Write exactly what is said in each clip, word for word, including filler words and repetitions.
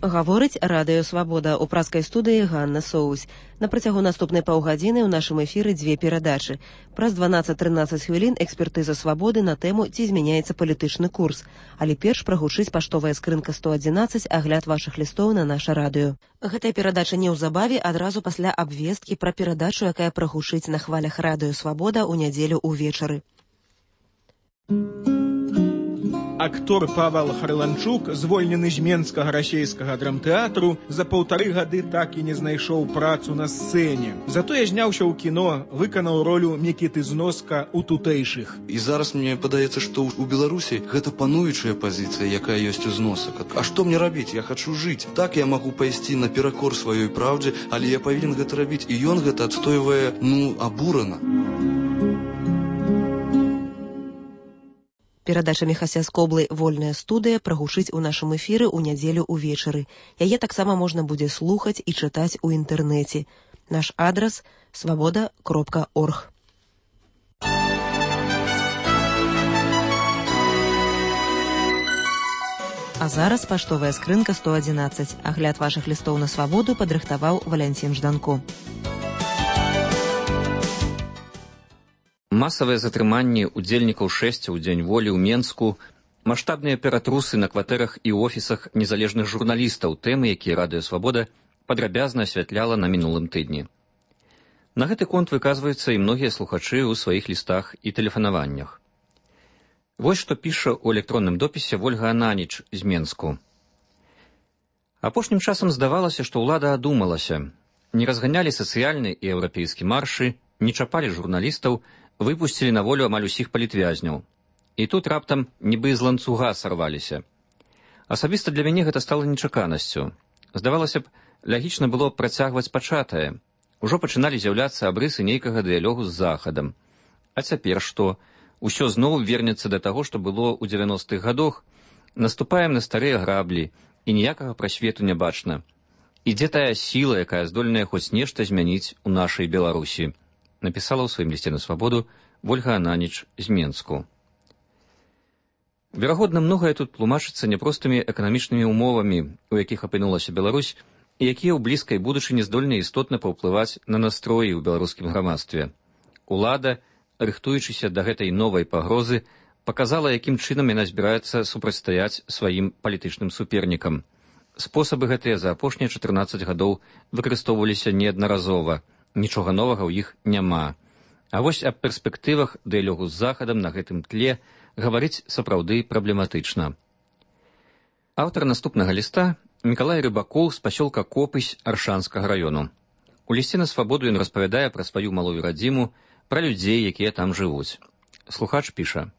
Гаворыць радыё «Свабода» у праскай студыі Ганна Соусь. На працягу наступнай паўгадзіны ў нашым эфіры дзве перадачы. Праз дванаццаць-трынаццаць хвілін экспертыза «Свабоды» на тэму «Ці змяняецца палітычны курс». Але перш прагучыць паштовая скрынка сто адзінаццаць, агляд вашых лістоў на наша радыё. Гэтая перадача неўзабаве, адразу пасля абвесткі пра перадачу, якая прагучыць на хвалях радыё «Свабода» ў нядзелю ўвечары. Актор Павел Харланчук, звольнены з Менскага расейскага драмтэатру, за паўтары гады так і не знайшоў працу на сцэне. Затое зняўся ў кіно, выканаў ролю Мікіты Зноска ў тутэйшых. І зараз мне падаецца, што ў Беларусі гэта пануючая пазіцыя, якая ёсць у Зносак. А што мне рабіць? Я хачу жыць. Так я магу пайсці наперакор сваёй праўдзе, але я павінен гэта рабіць. І ён гэта адстойвае, ну, абурана. Перадача Міхася Скоблы «Вольная студыя» прагучыць у нашым эфіры ў нядзелю ўвечары. Яе таксама можна будзе слухаць і чытаць у інтэрнэце. Наш адрас – свабода кропка орг. А зараз паштовая скрынка сто адзінаццаць. Агляд вашых лістоў на свабоду падрыхтаваў Валянцін Жданко. Масавыя затрыманні удзельнікаў шэсця ў дзень волі ў Менску, маштабныя ператрусы на кватэрах і офісах незалежных журналістаў, тэмы, якія радыё «Свабода» падрабязна асвятляла на мінулым тыдні. На гэты конт выказваюцца і многія слухачы ў сваіх лістах і тэлефанаваннях. Вось што піша ў электронным допісе Вольга Ананіч з Менску. Апошнім часам здавалася, што ўлада адумалася. Не разганялі сацыяльны і еўрапейскі маршы, не чапалі журналістаў, выпусцілі на волю амаль усіх палітвязняў. І тут раптам нібы з ланцуга сарваліся. Асабіста для мяне гэта стала нечаканасцю. Здавалася б, лагічна было працягваць пачатае. Ужо пачыналі з'яўляцца абрысы нейкага дыялогу з Захадам. А цяпер што? Усё зноў вернецца да таго, што было ў дзевяностых гадах. Наступаем на старыя граблі, і ніякага прасвету не бачна. І дзе тая сіла, якая здольная хоць нешта змяніць у нашай Беларусі? Напісала ў сваім лісце на свабоду Вольга Ананіч з Менску. Верагодна, многае тут тлумачыцца няпростымі эканамічнымі ўмовамі, у якіх апынулася Беларусь, і якія ў блізкай будучыні здольны істотна паўплываць на настроі ў беларускім грамадстве. Улада, рыхтуючыся да гэтай новай пагрозы, паказала, якім чынам яна збіраецца супрацьстаяць сваім палітычным супернікам. Спосабы гэтыя за апошнія чатырнаццаць гадоў выкарыстоўваліся неаднаразова. Нічога новага ў іх няма. А вось аб перспектывах дыялогу з Захадам на гэтым тле гаварыць сапраўды праблематычна. Аўтар наступнага ліста – Мікалай Рыбакоў з пасёлка Копысь Аршанскага раёну. У лісце на свабоду ён распавядае пра сваю малую радзіму, пра людзей, якія там жывуць. Слухач піша.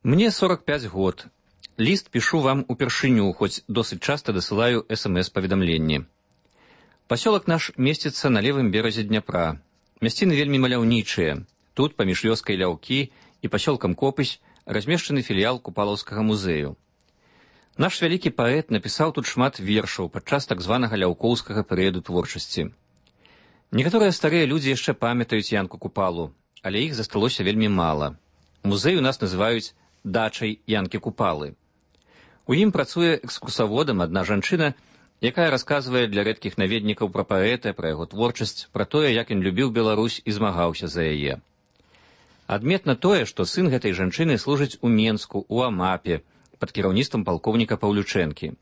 «Мне сорок пяць год. Ліст пішу вам упершыню, хоць досыць часта дасылаю эс эм эс-паведамленні. Пасёлак наш месціцца на левым беразе Дняпра. Мясціны вельмі маляўнічыя. Тут, паміж вёскай Ляўкі і пасёлкам Копысь, размешчаны філіял Купалаўскага музею. Наш вялікі паэт напісаў тут шмат вершаў падчас так званага ляўкоўскага перыяду творчасці. Некаторыя старыя людзі яшчэ памятаюць Янку Купалу, але іх засталося вельмі мала. Музей у нас называюць дачай Янкі Купалы. У ім працуе экскурсаводам адна жанчына, якая расказвае для рэдкіх наведнікаў пра паэта, пра яго творчасць, пра тое, як ён любіў Беларусь і змагаўся за яе. Адметна тое, што сын гэтай жанчыны служыць у Менску, у Амапе, пад кіраўніцтвам палкоўніка Паўлючэнкі.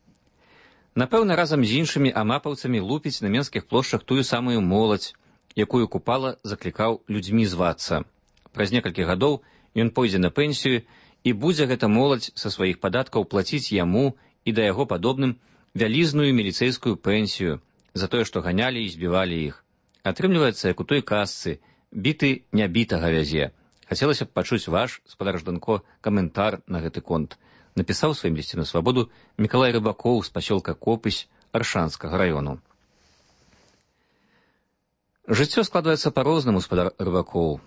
Напэўна, разам з іншымі амапаўцамі лупіць на менскіх плошчах тую самую моладзь, якую Купала заклікаў людзьмі звацца. Праз некалькі гадоў ён пойдзе на пенсію, і будзе гэта моладзь са сваіх падаткаў плаціць яму і да яго падобным вялізную міліцэйскую пенсію за тое, што ганялі і збівалі іх. Атрымліваецца, як у той казцы, біты нябітага вязе. Хацелася б пачуць ваш, спадар Жданко, каментар на гэты конт. Напісаў сваім лісце на свабоду Мікалай Рыбакоў з пасёлка Копысь Аршанскага раёну. Жыццё складваецца па-рознаму, спадар Рыбакоў.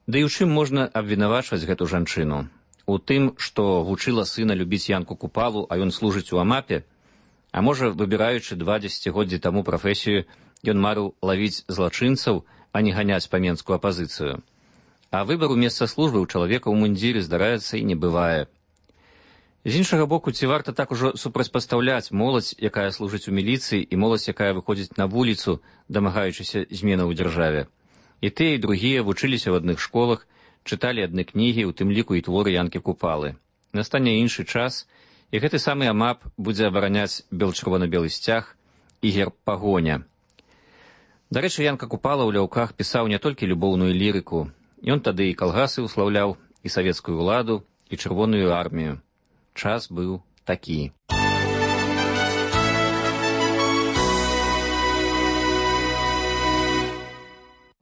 Да і ў чым можна абвінавачваць гэту жанчыну? У тым, што вучыла сына любіць Янку Купалу, а ён служыць у Амапе? А можа, выбіраючы два дзесяцігоддзі таму прафесію, ён марыў лавіць злачынцаў, а не ганяць па менскую апазіцыю. А выбару месца службы ў чалавека ў мундзіры, здараецца, і не бывае. З іншага боку, ці варта так ужо супрацьпастаўляць моладзь, якая служыць у міліцыі, і моладзь, якая выходзіць на вуліцу, дамагаючыся зменаў у дзяржаве. І тыя, і другія вучыліся ў адных школах, чыталі адны кнігі, у тым ліку і творы Янкі Купалы. Настане іншы час, і гэты самы АМАП будзе абараняць бел-чырвона-белы сцяг і герб пагоня. Дарэчы, Янка Купала ў ляўках пісаў не толькі любоўную лірыку. Ён тады і калгасы ўслаўляў, і савецкую ўладу, і чырвоную армію. Час быў такі.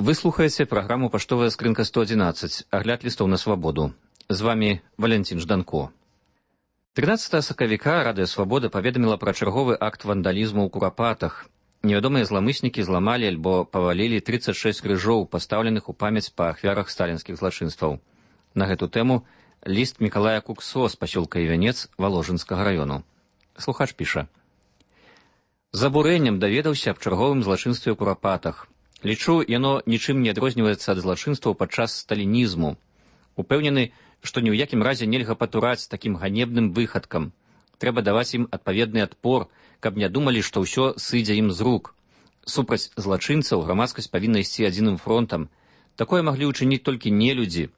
Вы слухаеце праграму «Паштовая скрынка сто адзінаццаць», агляд лістоў на свабоду. З вамі Валянцін Жданко. трынаццатага сакавіка Радыё Свабода паведаміла пра чарговы акт вандалізму ў Курапатах. Невядомыя зламыснікі зламалі альбо павалілі трыццаць шэсць крыжоў, пастаўленых у памяць па ахвярах сталінскіх злачынстваў. На гэту тэму ліст Мікалая Куксо з пасёлка Івянец Валожынскага раёну. Слухач піша. З абурэннем даведаўся аб чарговым злачынстве ў Курапатах. Лічу, яно нічым не адрозніваецца ад злачынстваў падчас сталінізму. Упэўнены, што ні ў якім разе нельга патураць такім ганебным выхадкам. Трэба даваць ім адпаведны адпор, каб не думалі, што ўсё сыдзе ім з рук. Супраць злачынцаў грамадскасць павінна ісці адзіным фронтам. Такое маглі ўчыніць толькі нелюдзі.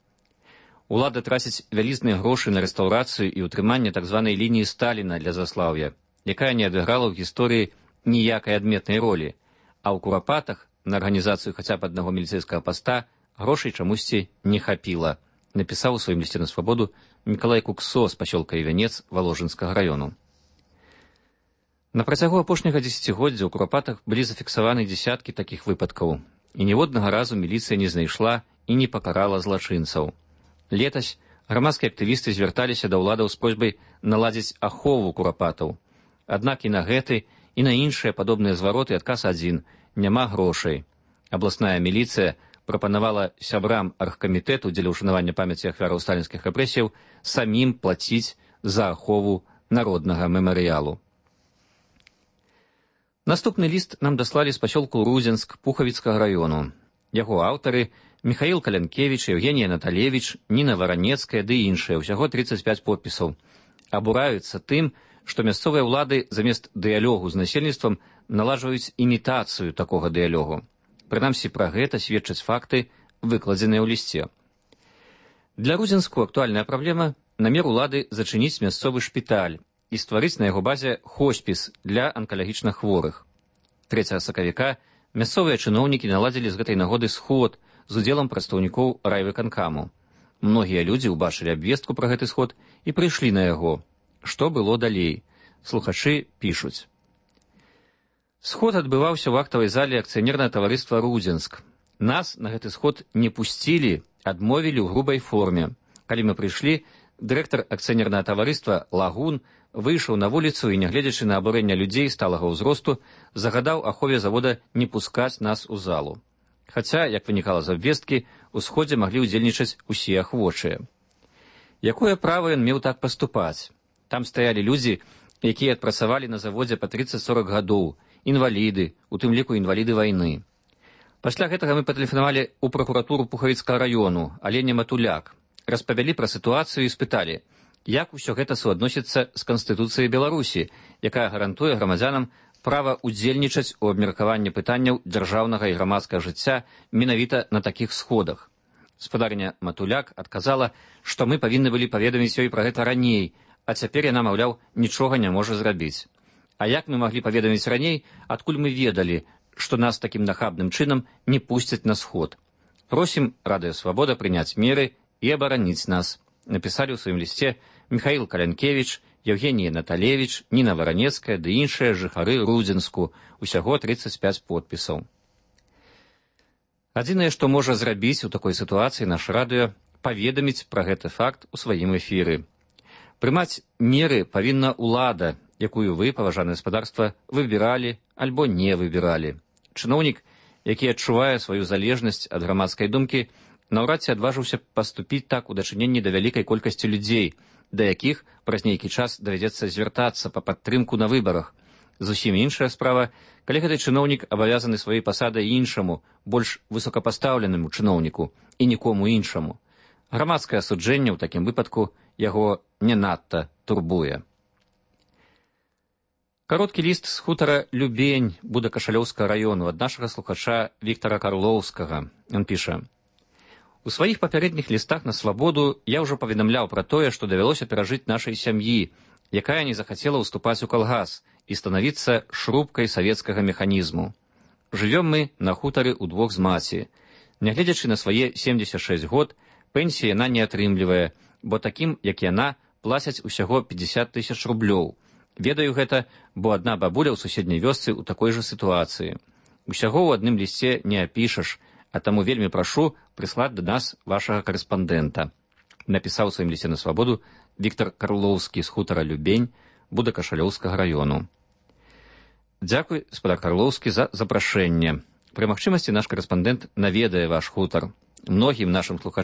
Улада траціць вялізныя грошы на рэстаўрацыю і ўтрыманне так званай лініі Сталіна для заслаўя, якая не адыграла ў гісторыі ніякай адметнай ролі, а ў Курапатах на арганізацыю хаця б аднаго міліцэйскага паста грошай чамусьці не хапіла, напісаў у сваім лісце на свабоду Мікалай Куксо з пасёлка Івянец Валожынскага раёну. На працягу апошняга дзесяцігоддзя ў Курапатах былі зафіксаваны дзесяткі такіх выпадкаў, і ніводнага разу міліцыя не знайшла і не пакарала злачынцаў. Летась грамадскія актывісты звярталіся да ўладаў з просьбай наладзіць ахову Курапатаў. Аднак і на гэты, і на іншыя падобныя звароты адказ адзін – няма грошай. Абласная міліцыя прапанавала сябрам аргкамітэту дзеля ўшанавання памяці ахвяраў сталінскіх рэпрэсіяў самім плаціць за ахову народнага мемарыялу. Наступны ліст нам даслалі з пасёлку Рудзенск Пухавіцкага раёну. Яго аўтары – Міхаіл Калянкевіч, Евгенія Наталевіч, Ніна Варанецкая ды іншыя, усяго трыццаць пяць подпісаў. Абураюцца тым, што мясцовыя ўлады замест дыялогу з насельніцтвам наладжваюць імітацыю такога дыялогу. Прынамсі, пра гэта сведчаць факты, выкладзеныя ў лісце. Для Рудзенску актуальная праблема – намер улады зачыніць мясцовы шпіталь і стварыць на яго базе хоспіс для анкалагічна хворых. трэцяга сакавіка мясцовыя чыноўнікі наладзілі з гэтай нагоды сход з удзелам прадстаўнікоў райвыканкаму. Многія людзі ўбачылі абвестку пра гэты сход і прыйшлі на яго. Што было далей? Слухачы пішуць. Сход адбываўся ў актавай зале акцыянернага таварыства «Рудзенск». Нас на гэты сход не пусцілі, адмовілі ў грубай форме. Калі мы прыйшлі, дырэктар акцыянернага таварыства «Лагун» выйшаў на вуліцу і, нягледзячы на абурэнне людзей сталага ўзросту, загадаў ахове завода не пускаць нас у залу. Хаця, як вынікала з абвесткі, у сходзе маглі ўдзельнічаць усе ахвочыя. Якое права ён меў так паступаць? Там стаялі людзі, якія адпрацавалі на заводзе па трыццаць-сорак гадоў, інваліды, у тым ліку інваліды вайны. Пасля гэтага мы патэлефанавалі ў пракуратуру Пухавіцкага раёну, Алене Матуляк, распавялі пра сітуацыю і спыталі, як усё гэта суадносіцца з Канстытуцыяй Беларусі, якая гарантуе грамадзянам права ўдзельнічаць у абмеркаванні пытанняў дзяржаўнага і грамадскага жыцця менавіта на такіх сходах. Спадарня Матуляк адказала, што мы павінны былі паведаміць ёй пра гэта раней, а цяпер яна, маўляў, нічога не можа зрабіць. А як мы маглі паведаміць раней, адкуль мы ведалі, што нас такім нахабным чынам не пусцяць на сход? Просім Радыё Свабода прыняць меры і абараніць нас, напісалі ў сваім лісце Міхаіл Калянкевіч, Евгенія Наталевіч, Ніна Варанецкая ды іншыя жыхары Рудзенску, усяго трыццаць пяць подпісаў. Адзінае, што можа зрабіць у такой сітуацыі наш радыё, паведаміць пра гэты факт у сваім эфіры. Прымаць меры павінна ўлада, якую вы, паважанае гаспадарства, выбіралі альбо не выбіралі. Чыноўнік, які адчувае сваю залежнасць ад грамадскай думкі, наўрад ці адважыўся паступіць так у дачыненні да вялікай колькасці людзей, да якіх праз нейкі час давядзецца звяртацца па падтрымку на выбарах. Зусім іншая справа, калі гэты чыноўнік абавязаны сваёй пасадай іншаму, больш высокапастаўленаму чыноўніку і нікому іншаму. Грамадскае асуджэнне ў такім выпадку яго не надта турбуе. Кароткі ліст з хутара Любень Будакашалёўскага раёну ад нашага слухача Віктара Карлоўскага. Ён піша: «У сваіх папярэдніх лістах на свабоду я ўжо паведамляў пра тое, што давялося перажыць нашай сям'і, якая не захацела ўступаць у калгас і станавіцца шрубкай савецкага механізму. Жывём мы на хутары ўдвох з маці. Нягледзячы на свае семдзесят шэсць год, пенсіі яна не атрымлівае, бо такім, як яна, плацяць усяго пятьдесят тысяч рублёў. Ведаю гэта, бо адна бабуля ў суседняй вёсцы ў такой жа сітуацыі. Усяго ў адным лісце не апішаш, а таму вельмі прашу прыслаць да нас вашага карэспандэнта», напісаў у сваім лісце на свабоду Віктар Карлоўскі з хутара Любень Будакашалёўскага раёну. Дзякуй, спадар Карлоўскі, за запрашэнне. Пры магчымасці наш карэспандэнт наведае ваш хутар. Многім нашым слухачам